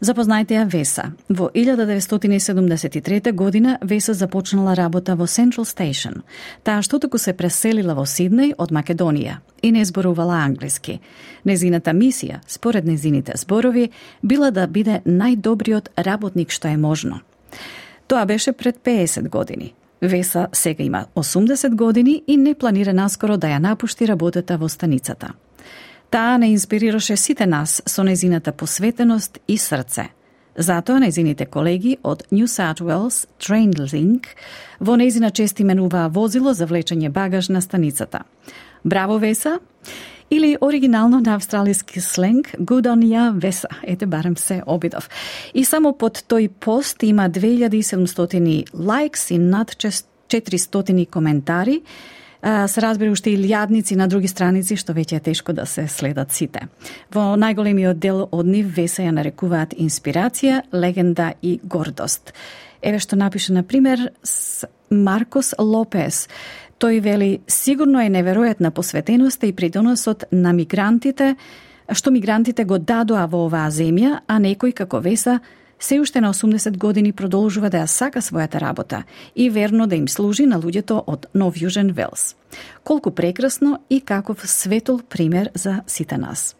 Запознајте ја Веса. Во илјада деветстотини седумдесет и трета година Веса започнала работа во Central Station. Таа што току се преселила во Сиднеј од Македонија и не зборувала англиски. Незината мисија, според незините зборови, била да биде најдобриот работник што е можно. Тоа беше пред песет години. Веса сега има осумдесет години и не планира наскоро да ја напушти работата во станицата. Таа не инспирираше сите нас со незината посветеност и срце. Затоа незините колеги од New South Wales TrainLink во незина чест именуваа возило за влечење багаж на станицата. Браво, Веса! Или оригинално на австралиски сленг Good on ya, Веса. Ете, барем се обидов. И само под тој пост има две илјади и седумстотини лайкс и над четиристотини коментари. Се разбира уште и илјадници на други страници, што веќе е тешко да се следат сите. Во најголемиот дел од нив Веса ја нарекуваат инспирација, легенда и гордост. Еве што напише, на пример, Маркос Лопес. Тој вели: сигурно е неверојатна посветеноста и придоносот на мигрантите, што мигрантите го дадоа во оваа земја, а некој како Веса се уште на осумдесет години продолжува да ја сака својата работа и верно да им служи на луѓето од Нов Јужен Велс. Колку прекрасно и каков светол пример за сите нас.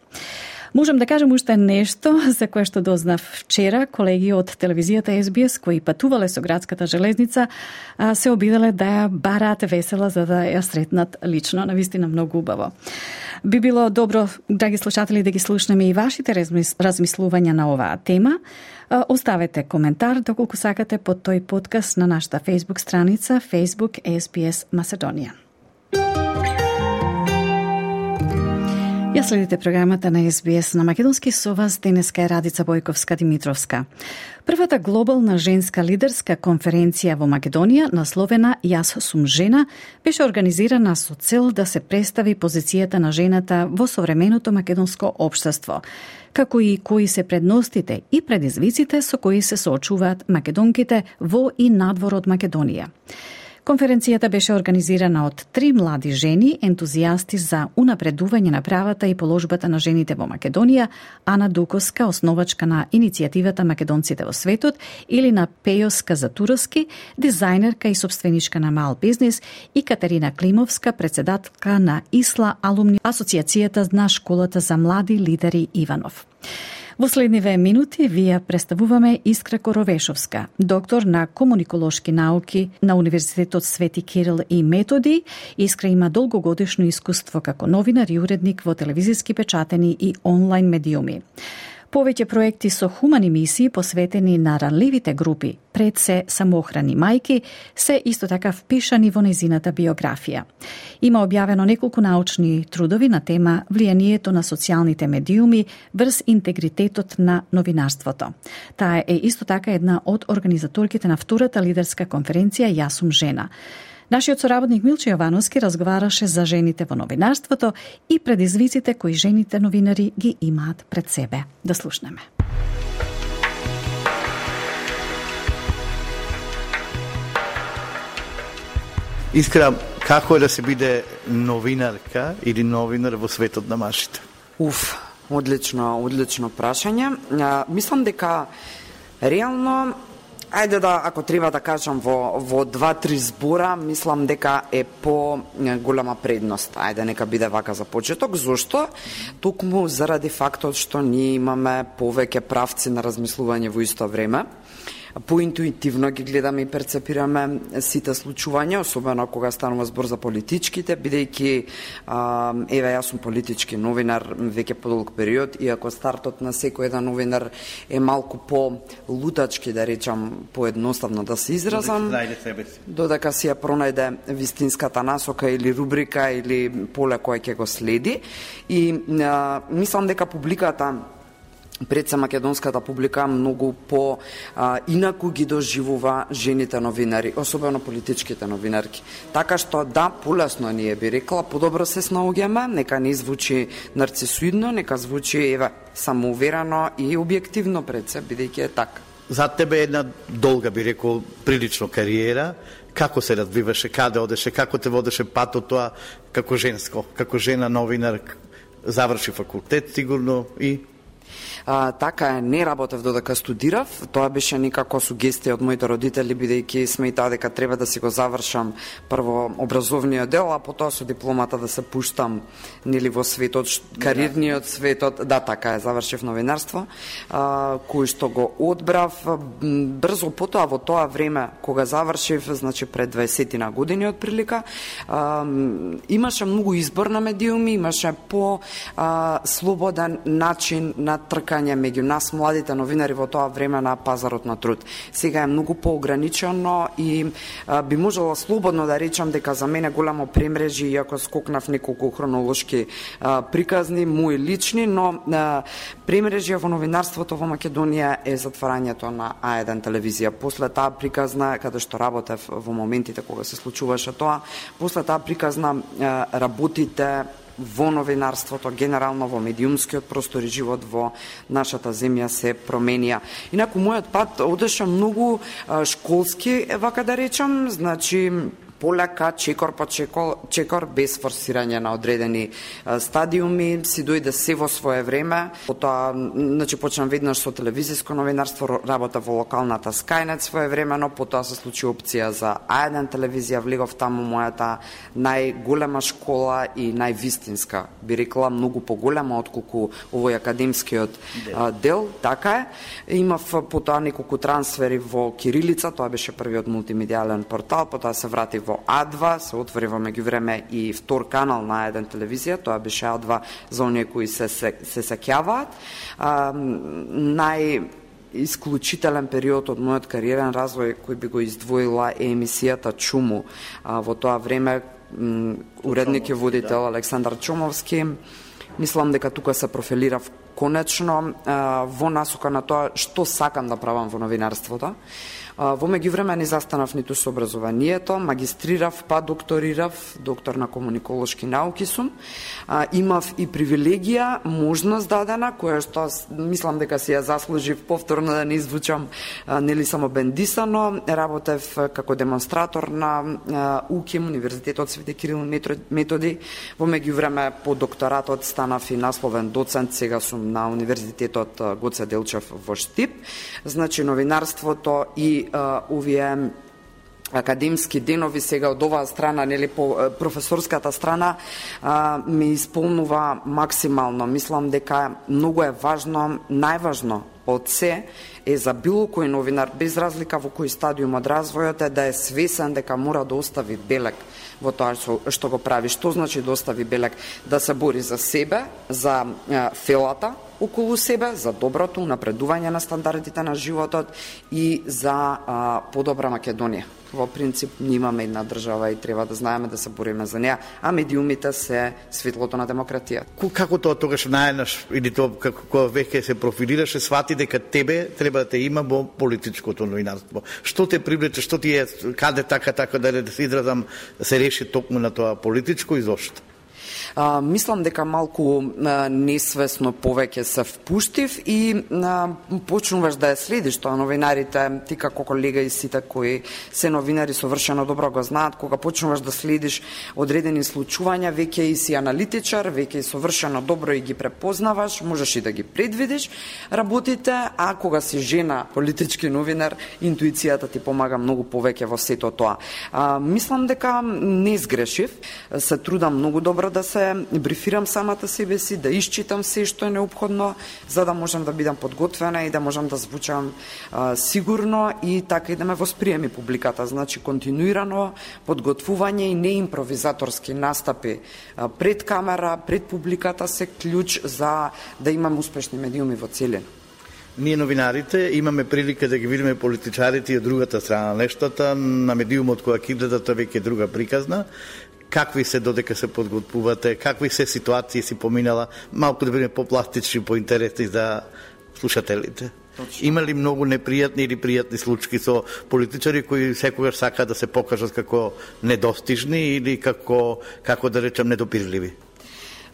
Можам да кажам уште нешто за кое што дознав вчера. Колеги од телевизијата Ес Би Ес кои патувале со градската железница се обиделе да ја бараат Весела за да ја сретнат лично. Навистина многу убаво. Би било добро, драги слушатели, да ги слушнеме и вашите размислувања на оваа тема. Оставете коментар доколку сакате под тој подкаст на нашата Facebook страница Facebook Ес Би Ес Macedonian. Ја следите програмата на Ес Би Ес на македонски, со вас денеска е Радица Бојковска-Димитровска. Првата глобална женска лидерска конференција во Македонија, насловена Јас сум жена, беше организирана со цел да се представи позицијата на жената во современото македонско општество, како и кои се предностите и предизвиците со кои се соочуваат македонките во и надвор од Македонија. Конференцијата беше организирана од три млади жени, ентузијасти за унапредување на правата и положбата на жените во Македонија, Ана Дуковска, основачка на иницијативата Македонците во светот, или на Пејоска Затуровски, дизајнерка и собственичка на мал бизнис, и Катерина Климовска, председателка на Исла Алумни, асоциацијата на школата за млади лидери Иванов. Во следниве минути вие представуваме Искра Коровешовска, доктор на комуниколошки науки на Универзитетот Свети Кирил и Методи. Искра има долгогодишно искуство како новинар и уредник во телевизиски печатени и онлайн медиуми. Повеќе проекти со хумани мисии посветени на ранливите групи, пред се самоохрани мајки, се исто така впишани во незината биографија. Има објавено неколку научни трудови на тема влијанието на социјалните медиуми врз интегритетот на новинарството. Таа е исто така една од организаторките на втората лидерска конференција Јас сум жена. Нашиот соработник Милче Јовановски разговараше за жените во новинарството и предизвиците кои жените новинари ги имаат пред себе. Да слушнеме. Искра, како е да се биде новинарка или новинар во светот на машите? Уф, одлично, одлично прашање. А, мислам дека реално, ајде да, ако треба да кажам во, во два-три збора, мислам дека е по голема предност. Ајде, нека биде вака за почеток. Зошто? Токму заради фактот што ние имаме повеќе правци на размислување во исто време. Поинтуитивно ги гледаме и перцепираме сите случувања, особено кога станува збор за политичките, бидејќи а, еве јас сум политички новинар веќе подолг период, иако стартот на секој еден новинар е малку по-лутачки, да речам, поедноставно да се изразам, додека си ја пронајде вистинската насока или рубрика или поле кој ќе го следи. И а, мислам дека публиката, пред се македонската публика, многу по а, инаку ги доживува жените новинари, особено политичките новинарки. Така што да, полесно ние би рекла, подобро се снаоѓаме, нека не звучи нарцисоидно, нека звучи еве самоуверено и објективно пред се, бидејќи е така. За тебе е една долга, би рекол, прилично кариера. Како се развиваше, каде одеше, како те водеше патот тоа како женско, како жена новинар, заврши факултет сигурно и А, така е, не работев додека студирав, тоа беше некако сугестија од моите родители, бидејќи сметаа дека треба да си го завршам прво образовниот дел, а потоа со дипломата да се пуштам нели во светот, кариерниот светот. Да, така е, завршив новинарство, а, кој што го одбрав брзо потоа во тоа време кога завршив, значи пред дваесет на години отприлика, а, имаше многу избор на медиуми, имаше по а, слободен начин на тркање меѓу нас младите новинари во тоа време на пазарот на труд. Сега е многу поограничено и а, би можела слободно да речам дека за мене големо премрежи, иако скокнав неколку хронолошки а, приказни, мои лични, но а, премрежија во новинарството во Македонија е затварањето на А еден телевизија. После таа приказна, каде што работев во моментите кога се случуваше тоа, после таа приказна а, работите во новинарството, генерално во медиумскиот простор и живот во нашата земја се променија. Инаку мојот пат одеше многу а, школски, вака да речам, значи полека, чекор по чекор, чекор без форсирање на одредени а, стадиуми, си дојде се во свое време. Потоа, значи, почнам веднаш со телевизиско новинарство, работа во локалната Skynet своевремено, потоа се случи опција за А еден телевизија, влегов таму мојата најголема школа и највистинска, би рекла, многу поголема отколку овој академскиот а, дел, така е. Имав потоа неколку трансфери во кирилица, тоа беше првиот мултимедијален портал, потоа се вратив во А два, се отвори во меѓувреме и втор канал на еден телевизија, тоа беше А два за оние кои се се, се сеќаваат. Нај исклучителен период од мојот кариерен развој кој би го издвоила е емисијата Чуму. А, во тоа време уредник и водител Александар Чумовски, Мислам дека тука се профилирав конечно во насока на тоа што сакам да правам во новинарството. Во меѓувреме не застанав ниту со образованието, магистрирав па докторирав, доктор на комуниколошки науки сум. Имав и привилегија, можност дадена, која што мислам дека си ја заслужив повторно да не извучам нели само бендисано. Работев како демонстратор на УКИМ, Универзитетот Свети Кирил Методи. Во меѓувреме по докторатот станав и насловен доцент, сега сум на Универзитетот Гоце Делчев во Штип. Значи новинарството и овие академски денови сега од оваа страна, нели по професорската страна, ме исполнува максимално. Мислам дека многу е важно, најважно од се е за било кој новинар, без разлика во кој стадиум од развојот е, да е свесен дека мора да остави белег во тоа што го прави. Што значи да остави белег? Да се бори за себе, за фелата околу себе, за доброто, напредување на стандардите на животот и за а, подобра Македонија. Во принцип, ние имаме една држава и треба да знаеме да се бориме за неа, а медиумите се светлото на демократија. Како тоа тогаш наеднаш, или тоа како веќе се профилираше, свати дека тебе треба да те има во политичкото новинарство? Што те привлече, што ти е, каде така, така да се изразам, да се реши токму на тоа политичко и зошто? А, мислам дека малку а, несвесно повеќе се впуштив и а, почнуваш да ја следиш тоа. Новинарите, ти како колега и сите кои се новинари совршено добро го знаат, кога почнуваш да следиш одредени случувања, веќе и си аналитичар, веќе и совршено добро и ги препознаваш, можеш и да ги предвидиш работите, а кога си жена политички новинар, интуицијата ти помага многу повеќе во сето тоа. А, мислам дека не сгрешив, се трудам многу добро да се брифирам самата себе си, да исчитам се што е неопходно, за да можам да бидам подготвена и да можам да звучам а, сигурно и така и да ме восприеми публиката. Значи, континуирано подготвување и не импровизаторски настапи а, пред камера, пред публиката се клjuč за да имам успешни медиуми во целина. Ние новинарите имаме прилика да ги видиме политичарите и од другата страна на нештата, на медиумот која ќе гледате веќе друга приказна. Какви се додека се подготвувате, какви се ситуации си поминала, малку да бидеме попластични, поинтересни за слушателите. Точно. Има ли многу непријатни или пријатни случаи со политичари кои секогаш сакаат да се покажат како недостижни или како, како да речем, недопирливи?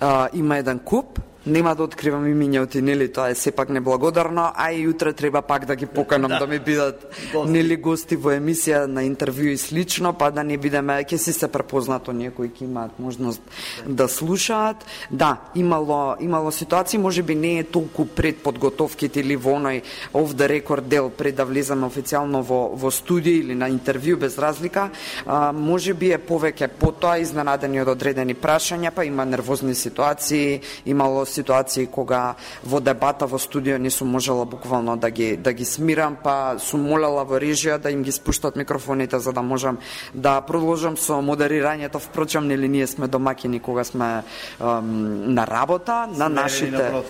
А, има еден куп, нема да откривам имињата, нели, тоа е сепак неблагодарно, а и утре треба пак да ги поканам да, да ми бидат нели гости во емисија на интервју и слично, па да не бидеме, ќе си се препознато ние кои ќе имаат можност да слушаат. Да, имало имало ситуации, можеби не е толку пред подготовките или во оној off the record дел пред да влеземе официјално во во студија или на интервју, без разлика, а, можеби е повеќе потоа изненадени од одредени прашања, па има нервозни ситуации, имало ситуации кога во дебата во студио не сум можела буквално да ги да ги смирам, па сум молела во режија да им ги спуштат микрофоните за да можам да продолжам со модерирањето. Впрочем, нели ние сме домаќини кога сме ем, на работа, на нашите на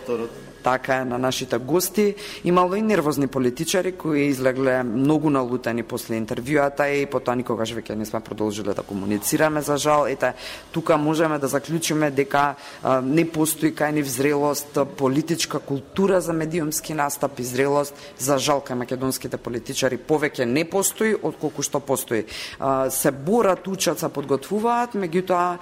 така е, на нашите гости. Имало и нервозни политичари кои излегле многу налутени после интервјуата и потоа никогаш веќе не сме продолжиле да комуницираме, за жал. Ете, тука можеме да заклучиме дека а, не постои кај нив зрелост, политичка култура за медиумски настап и зрелост. За жал кај македонските политичари повеќе не постои отколку што постои. А, се борат, учат, се подготвуваат, меѓутоа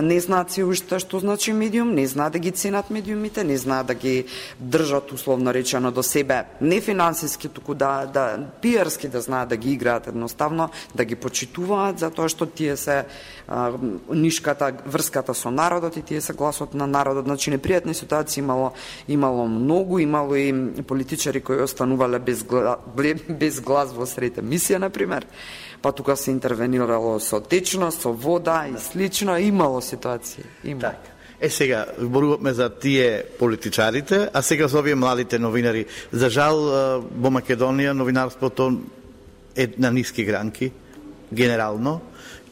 не знаат се уште што значи медиум, не знаат да ги ценат медиумите, не знаат да ги држат условно речено до себе, не финансиски, туку да, да пиарски да знаат да ги играат едноставно, да ги почитуваат, затоа што тие се а, нишката, врската со народот и тие се гласот на народот. Значи, непријатни ситуации имало, имало многу, имало и политичари кои останувале без, гла, без глас во сред емисија, например, па тука се интервенирало со течност, со вода и слично, имало ситуации. Имало. Так. Е, сега, зборуваме за тие политичарите, а сега за овие младите новинари. За жал, во Македонија новинарството е на ниски гранки. генерално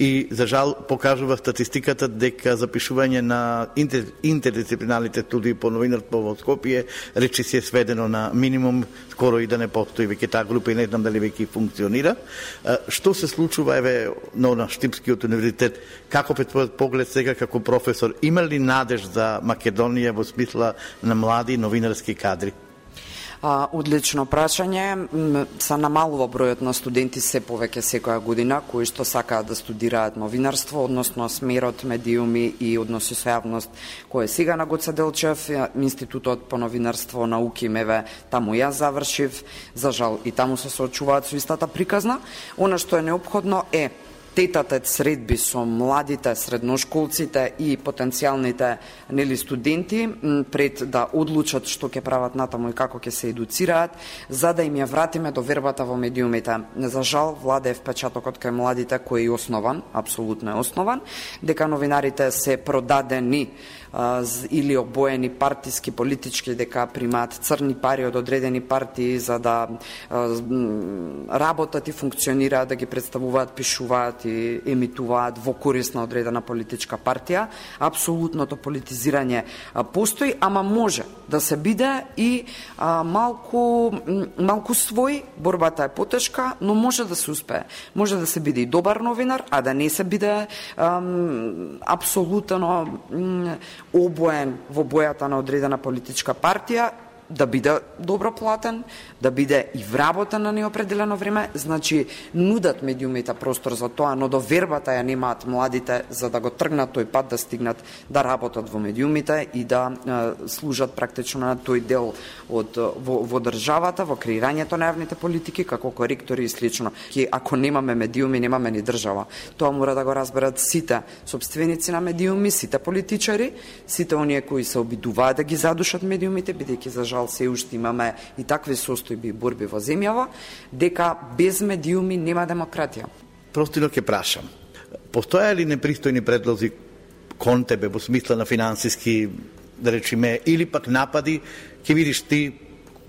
и за жал покажува статистиката дека запишување на интер, интердисциплинарните студии по новинарство во Скопје речи се сведено на минимум, скоро и да не постои веќе таа група и не знам дали веќе функционира. Што се случува еве на Штипскиот универзитет? Како пред твојот поглед сега како професор, има ли надеж за Македонија во смисла на млади новинарски кадри? А, одлично прашање. Се намалува бројот на студенти се повеќе секоја година кои што сакаат да студираат новинарство, односно смерот медиуми и односи со јавност кој е сега на Гоце Делчев, Институтот по новинарство, науки, меве, таму јас завршив, за жал и таму се соочуваат со истата приказна. Она што е неопходно е тетатет средби со младите средношколците и потенцијалните нели студенти пред да одлучат што ќе прават натаму и како ќе се едуцираат, за да им ја вратиме довербата во медиумите. За жал, владе впечатокот кај младите кој е основан, апсолутно е основан, дека новинарите се продадени или обоени партиски, политички, дека примаат црни пари од одредени партии за да работат и функционираат, да ги представуваат, пишуваат и емитуваат во корист на одредена политичка партија. Апсолутното политизирање постои, ама може да се биде и а, малку, малку свој, борбата е потешка, но може да се успее. Може да се биде и добар новинар, а да не се биде ам, апсолутно м, обоен во бојата на одредена политичка партија, да биде добро платен, да биде и вработен на неопределено време, значи нудат медиумите простор за тоа, но довербата ја немаат младите за да го тргнат тој пат, да стигнат да работат во медиумите и да е, служат практично на тој дел од во, во државата, во креирањето на јавните политики, како коректори и слично. Ке ако немаме медиуми, немаме ни држава. Тоа мора да го разберат сите сопственици на медиуми, сите политичари, сите оние кои се обидуваат да ги задушат медиумите, бидејќи за жал се уште имаме и такви состојби и борби во земјава, дека без медиуми нема демократија. Простино ќе прашам, постоја ли непристојни предлози кон тебе во смисла на финансиски, да речеме, или пак напади, ќе видиш ти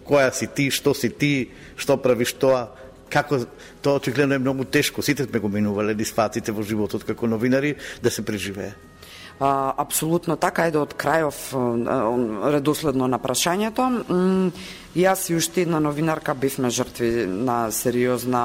која си ти, што си ти, што правиш тоа, како тоа очигледно е многу тешко, сите сме го минувале дисфаците во животот како новинари, да се преживее. А, апсолутно така, е да од крајов редоследно на прашањето. Јас и уште една новинарка бевме жртви на сериозна,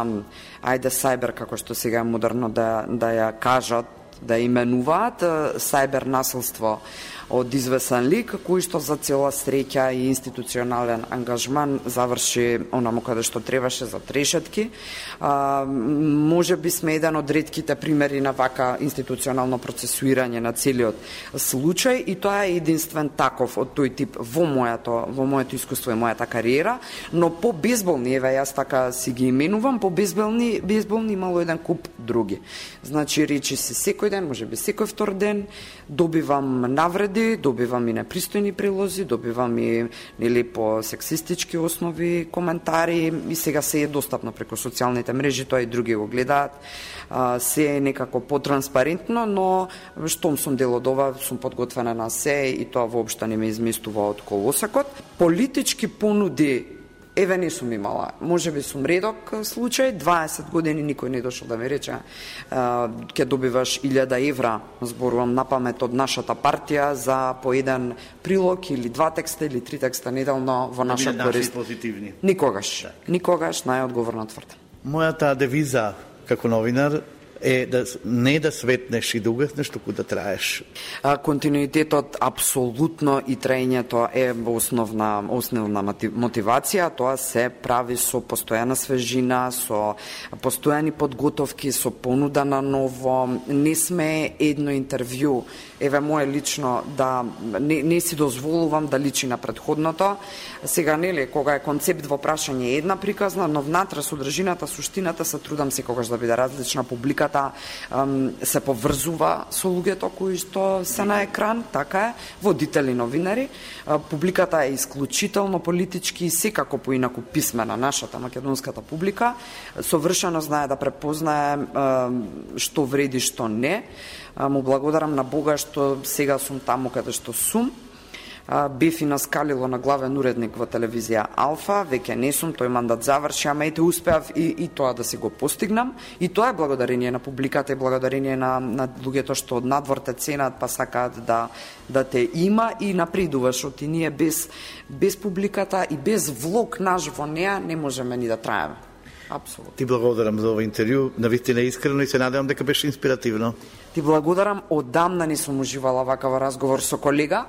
ајде сајбер, како што сега е модерно да, да ја кажат, да именуваат, сајбер насилство од извесен лик, кој што за цела среќа и институционален ангажман заврши онаму каде што требаше, за трешетки. А, може би сме еден од ретките примери на вака институционално процесуирање на целиот случај и тоа е единствен таков од тој тип во моето, во моето искуство и мојата кариера, но по безболни, еве јас така си ги именувам, по безболни, безболни имало еден куп други. Значи, речи се секој ден, може би секој втор ден, добивам навреди, добивам и непристојни прилози, добивам и нели по сексистички основи коментари и сега се е достапно преку социјалните мрежи, тоа и други го гледаат. А, се е некако потранспарентно, но штом сум дел од ова, сум подготвена на се и тоа воопшто не ме изместува од колосакот. Политички понуди еве не сум имала. Може би сум редок случај, дваесет години никој не дошол да ми рече ќе добиваш илјада евра, зборувам на памет, од нашата партија за по еден прилог или два текста или три текста неделно во наша корист. Позитивни. Никогаш, да. Никогаш, најодговорно тврдам. Мојата девиза како новинар е да не да светнеш и да угаснеш, туку да траеш. А, континуитетот апсолутно и траењето е основна основна мотивација, тоа се прави со постојана свежина, со постојани подготовки, со понуда на ново. Не сме едно интервју, еве моje лично да не, не си дозволувам да личи на претходното. Сега нели кога е концепт во прашање една приказна, но внатре содржината, суштината се трудам секогаш да биде различна, публика се поврзува со луѓето кои што се на екран, така е, водители, новинари. Публиката е исклучително политички и секако поинаку писмена, нашата македонската публика. Совршено знае да препознае што вреди, што не. Му благодарам на Бога што сега сум таму каде што сум. бев и наскалило на главен уредник во телевизија Алфа, веќе не сум, тој мандат заврши, ама ете успеав и, и тоа да си го постигнам. И тоа е благодарение на публиката и благодарение на, на луѓето што од надвор те ценат, па сакаат да, да те има и напредуваш, од и ние без, без публиката и без влог наш во неа не можеме ни да траеме. Апсолутно. Ти благодарам за ова интервју, навистина искрено и се надевам дека беше инспиративно. Ти благодарам, одамна не сум уживала вакав разговор со колега,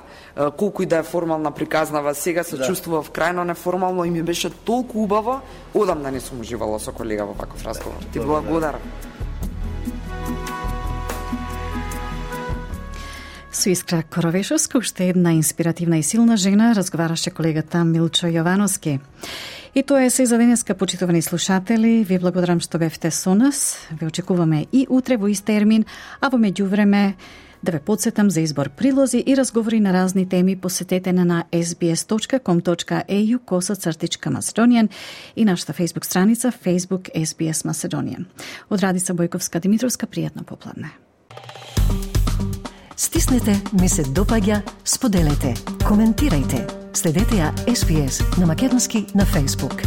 колку и да е формална приказнава сега, се да. Чувствував крајно неформално и ми беше толку убаво, одамна не сум уживала со колега во ваков разговор. Ти благодарам. Со Искра Коровешовска, уште една инспиративна и силна жена, разговараше колегата Милчо Јовановски. И тоа е се за денеска, почитувани слушатели. Ви благодарам што бевте со нас. Ве очекуваме и утре во ист термин, а во меѓувреме да ве подсетам за избор прилози и разговори на разни теми, посетете на ес би ес точка ком точка е ю косацртичка Macedonian и нашата фейсбук страница Facebook ес би ес Macedonian. Од Радица Бојковска Димитровска, пријатно попладне. Стиснете, ми се допаѓа, споделете, коментирајте. Следете ја ес би ес на македонски на Facebook.